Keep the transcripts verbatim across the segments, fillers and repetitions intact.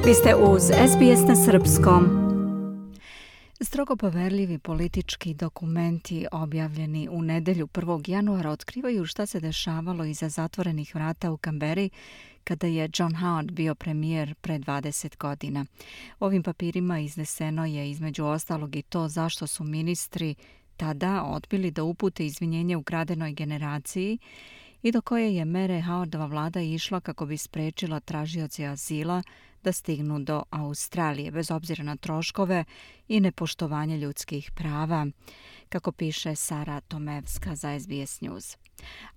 Vi ste uz S B S na srpskom. Strogo poverljivi politički dokumenti objavljeni u nedelju prvog januara otkrivaju šta se dešavalo iza zatvorenih vrata u Kamberi kada je John Howard bio premijer pre dvadeset godina. U ovim papirima izneseno je između ostalog i to zašto su ministri tada odbili da upute izvinjenje ukradenoj generaciji i do koje je mere Howardova vlada išla kako bi sprečila tražioce azila da stignu do Australije, bez obzira na troškove i nepoštovanje ljudskih prava, kako piše Sara Tomevska za S B S News.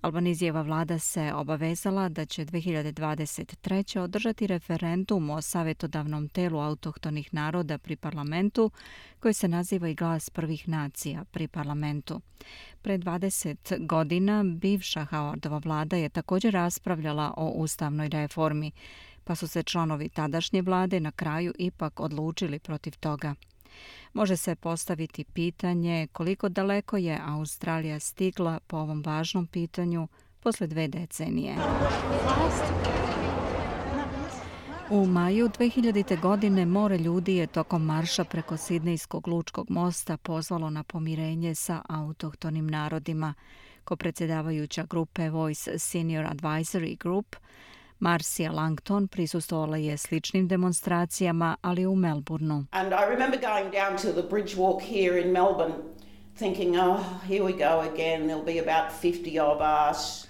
Albanizijeva vlada se obavezala da će dve hiljade dvadeset treće. održati referendum o savjetodavnom telu autohtonih naroda pri parlamentu, koji se naziva i Glas prvih nacija pri parlamentu. Pre dvadeset godina bivša Howardova vlada je također raspravljala o ustavnoj reformi, pa su se članovi tadašnje vlade na kraju ipak odlučili protiv toga. Može se postaviti pitanje koliko daleko je Australija stigla po ovom važnom pitanju posle dve decenije. U maju dve hiljadite. godine more ljudi je tokom marša preko Sidnejskog lučkog mosta pozvalo na pomirenje sa autohtonim narodima. Ko predsjedavajuća grupe Voice Senior Advisory Group, Marcia Langton prisustvovala je sličnim demonstracijama, ali u Melbourneu. And I remember going down to the bridge walk here in Melbourne thinking, oh, here we go again, there'll be about fifty of us.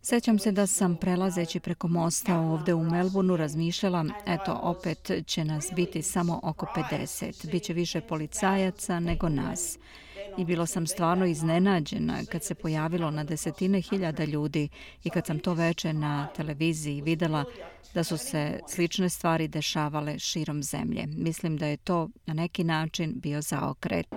Sećam se da sam prelazeći preko mosta ovde u Melbourneu razmišljala, eto, opet će nas biti samo oko pedeset. Biće više policajaca nego nas. I bilo sam stvarno iznenađena kad se pojavilo na desetine hiljada ljudi i kad sam to veče na televiziji videla da su se slične stvari dešavale širom zemlje. Mislim da je to na neki način bio zaokret.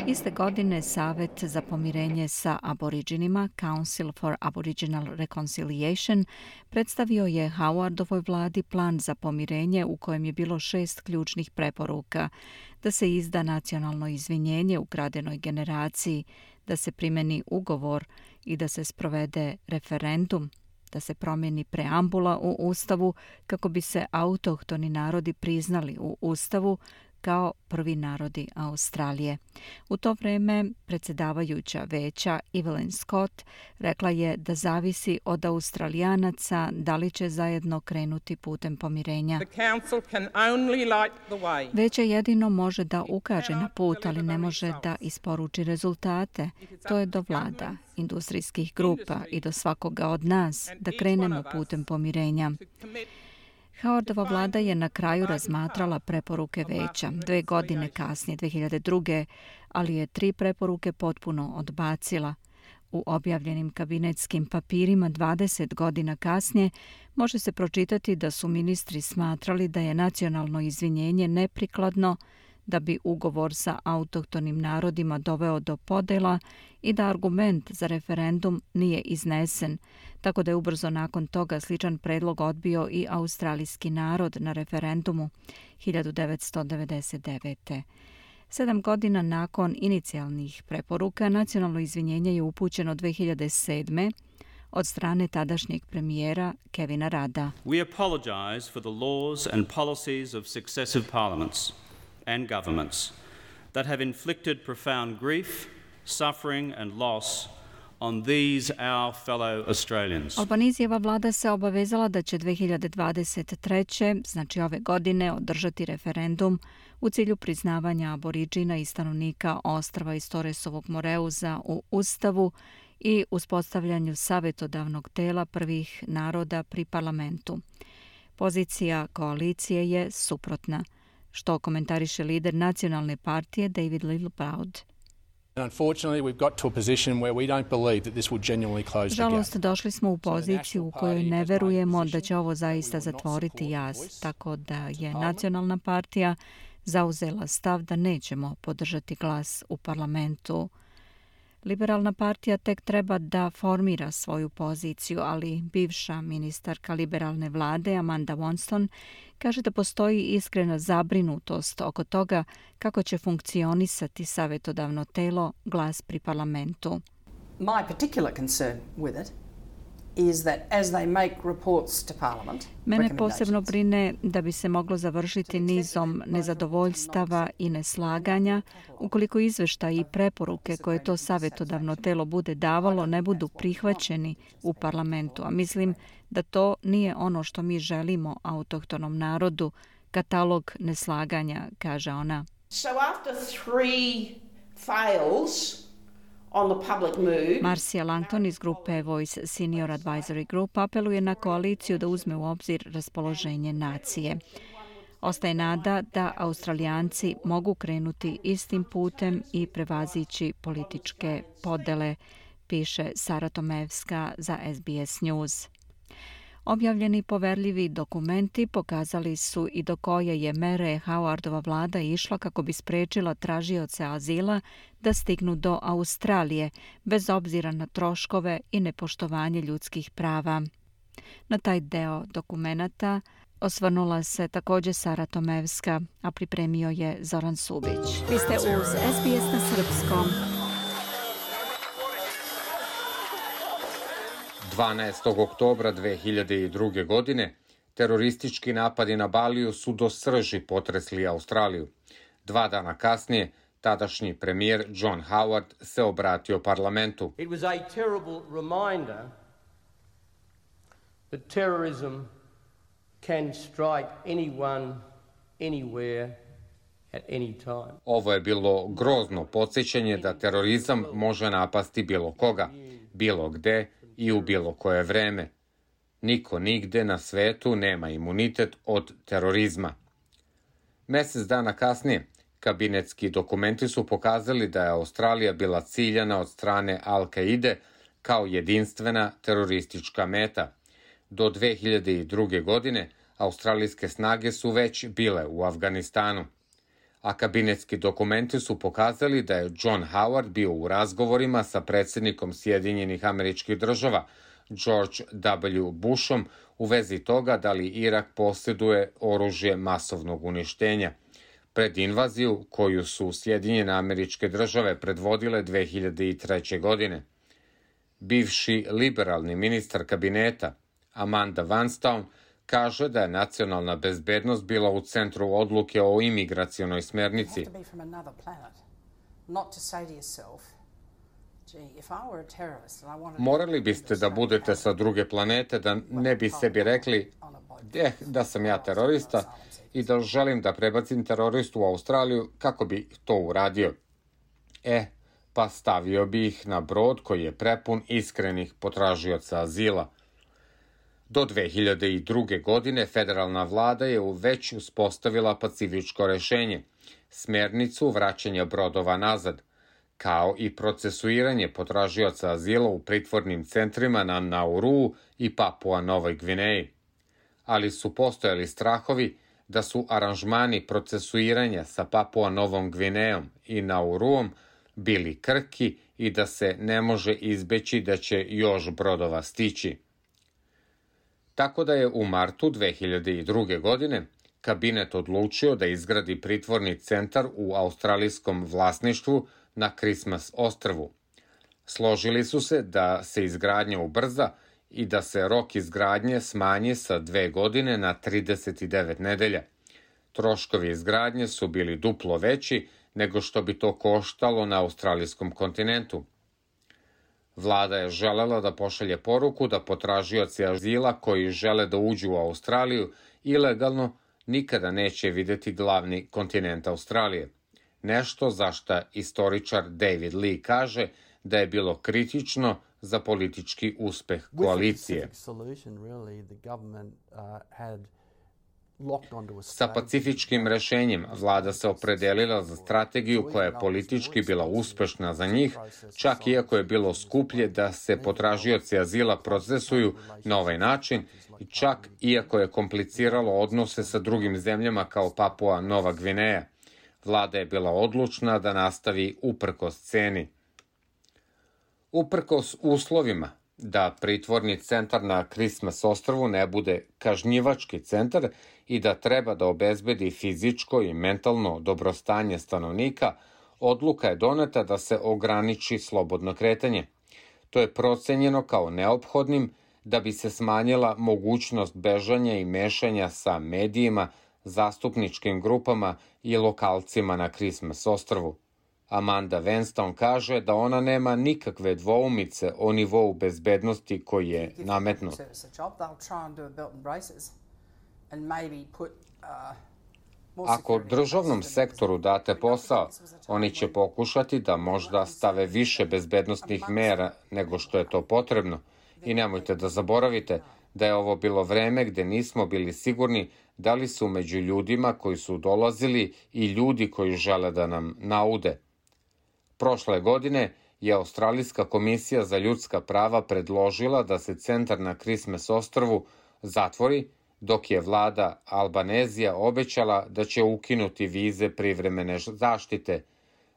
Iste godine Savet za pomirenje sa Aboriđinima, Council for Aboriginal Reconciliation, predstavio je Howardovoj vladi plan za pomirenje u kojem je bilo šest ključnih preporuka: da se izda nacionalno izvinjenje ukradenoj generaciji, da se primeni ugovor i da se sprovede referendum, da se promijeni preambula u Ustavu kako bi se autohtoni narodi priznali u Ustavu kao prvi narodi Australije. U to vreme predsjedavajuća veća Evelyn Scott rekla je da zavisi od Australijanaca da li će zajedno krenuti putem pomirenja. Veće jedino može da ukaže na put, ali ne može da isporuči rezultate. To je do vlada, industrijskih grupa i do svakoga od nas da krenemo putem pomirenja. Howardova vlada je na kraju razmatrala preporuke veća dve godine kasnije, dve hiljade druge. ali je tri preporuke potpuno odbacila. U objavljenim kabinetskim papirima dvadeset godina kasnije može se pročitati da su ministri smatrali da je nacionalno izvinjenje neprikladno, da bi ugovor sa autohtonim narodima doveo do podela i da argument za referendum nije iznesen, tako da je ubrzo nakon toga sličan predlog odbio i australijski narod na referendumu hiljadu devetsto devedeset devete. Sedam godina nakon inicijalnih preporuka, nacionalno izvinjenje je upućeno dve hiljade sedme. od strane tadašnjeg premijera Kevina Radda. We apologize for the laws and policies of successive parliaments and governments that have inflicted profound grief, suffering and loss on these our fellow Australians. Albanizijeva vlada se obavezala da će dve hiljade dvadeset treće. znači ove godine, održati referendum u cilju priznavanja Aboriđina i stanovnika ostrva iz Torresovog Moreuza u Ustavu i uspostavljanju savjetodavnog tela prvih naroda pri parlamentu. Pozicija koalicije je suprotna, što komentariše lider nacionalne partije David Littleproud. Žalost, došli smo u poziciju u kojoj ne verujemo da će ovo zaista zatvoriti jaz, tako da je nacionalna partija zauzela stav da nećemo podržati glas u parlamentu. Liberalna partija tek treba da formira svoju poziciju, ali bivša ministarka liberalne vlade Amanda Wonston kaže da postoji iskrena zabrinutost oko toga kako će funkcionisati savjetodavno telo Glas pri parlamentu. My particular concern with it is that as they make reports to Parliament, Mene posebno brine da bi se moglo završiti nizom nezadovoljstava i neslaganja ukoliko izveštaji i preporuke koje to savjetodavno telo bude davalo ne budu prihvaćeni u parlamentu, a mislim da to nije ono što mi želimo autohtonom narodu, katalog neslaganja, kaže ona. So after three fails on the public mood, Marcia Langton iz grupe Voice Senior Advisory Group apeluje na koaliciju da uzme u obzir raspoloženje nacije. Ostaje nada da Australijanci mogu krenuti istim putem i prevazići političke podele, piše Sara Tomevska za S B S News. Objavljeni poverljivi dokumenti pokazali su i do koje je mere Howardova vlada išla kako bi sprečila tražioce azila da stignu do Australije, bez obzira na troškove i nepoštovanje ljudskih prava. Na taj deo dokumenata osvrnula se također Sara Tomevska, a pripremio je Zoran Subić. Vi ste uz S B S na srpskom. dvanaestog oktobra dve hiljade druge. godine teroristički napadi na Baliju su do srži potresli Australiju. Dva dana kasnije tadašnji premijer John Howard se obratio parlamentu. It was a terrible reminder that terrorism can strike anyone, anywhere, at any time. Ovo je bilo grozno podsjećanje da terorizam može napasti bilo koga, bilo gde i u bilo koje vreme. Niko nigde na svetu nema imunitet od terorizma. Mesec dana kasnije, kabinetski dokumenti su pokazali da je Australija bila ciljana od strane Al-Kaide kao jedinstvena teroristička meta. Do dve hiljade druge. godine australijske snage su već bile u Afganistanu. A kabinetski dokumenti su pokazali da je John Howard bio u razgovorima sa predsjednikom Sjedinjenih Američkih Država, George W. Bushom, u vezi toga da li Irak posjeduje oružje masovnog uništenja. Pred invaziju koju su Sjedinjene Američke Države predvodile dve hiljade treće. godine. Bivši liberalni ministar kabineta Amanda Vanstone kaže da je nacionalna bezbednost bila u centru odluke o imigracionoj smernici. Morali biste da budete sa druge planete, da ne bi sebi rekli eh, da sam ja terorista i da želim da prebacim teroristu u Australiju, kako bi to uradio. E, pa stavio bi ih na brod koji je prepun iskrenih potražioca azila. Do dve hiljade druge. godine federalna vlada je već uspostavila pacifičko rešenje, smernicu vraćanja brodova nazad, kao i procesuiranje potražioca azila u pritvornim centrima na Nauruu i Papua Novoj Gvineji. Ali su postojali strahovi da su aranžmani procesuiranja sa Papua Novom Gvinejom i Nauruom bili krhki i da se ne može izbeći da će još brodova stići. Tako da je u martu dve hiljade druge. godine kabinet odlučio da izgradi pritvorni centar u australijskom vlasništvu na Christmas ostrvu. Složili su se da se izgradnja ubrza i da se rok izgradnje smanji sa dve godine na trideset devet nedelja. Troškovi izgradnje su bili duplo veći nego što bi to koštalo na australijskom kontinentu. Vlada je želela da pošalje poruku da potražioci azila koji žele da uđu u Australiju ilegalno nikada neće videti glavni kontinent Australije. Nešto za šta istoričar David Lee kaže da je bilo kritično za politički uspeh koalicije. Sa pacifičkim rešenjem vlada se opredelila za strategiju koja je politički bila uspešna za njih, čak iako je bilo skuplje da se potražioci azila procesuju na ovaj način i čak iako je kompliciralo odnose sa drugim zemljama kao Papua Nova Gvineja. Vlada je bila odlučna da nastavi uprkos ceni. Uprkos uslovima da pritvorni centar na Christmas ostrvu ne bude kažnjivački centar i da treba da obezbedi fizičko i mentalno dobrostanje stanovnika, odluka je doneta da se ograniči slobodno kretanje. To je procenjeno kao neophodnim da bi se smanjila mogućnost bežanja i mešanja sa medijima, zastupničkim grupama i lokalcima na Christmas ostrvu. Amanda Vanstone kaže da ona nema nikakve dvoumice o nivou bezbednosti koji je nametnut. Ako državnom sektoru date posao, oni će pokušati da možda stave više bezbednostnih mera nego što je to potrebno. I nemojte da zaboravite da je ovo bilo vreme gde nismo bili sigurni da li su među ljudima koji su dolazili i ljudi koji žele da nam naude. Prošle godine je Australijska komisija za ljudska prava predložila da se centar na Christmas ostrvu zatvori, dok je vlada Albanezija obećala da će ukinuti vize privremene zaštite.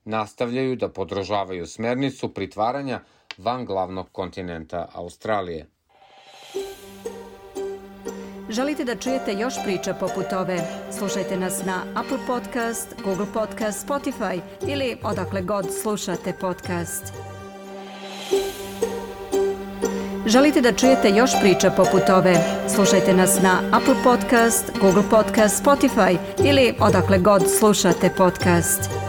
Nastavljaju da podržavaju smernicu pritvaranja van glavnog kontinenta Australije. Želite da čujete još priča poput ove? Slušajte nas na Apple Podcast, Google Podcast, Spotify ili odakle god slušate podcast. Želite da čujete još priča poput ove? Slušajte nas na Apple Podcast, Google Podcast, Spotify ili odakle god slušate podcast.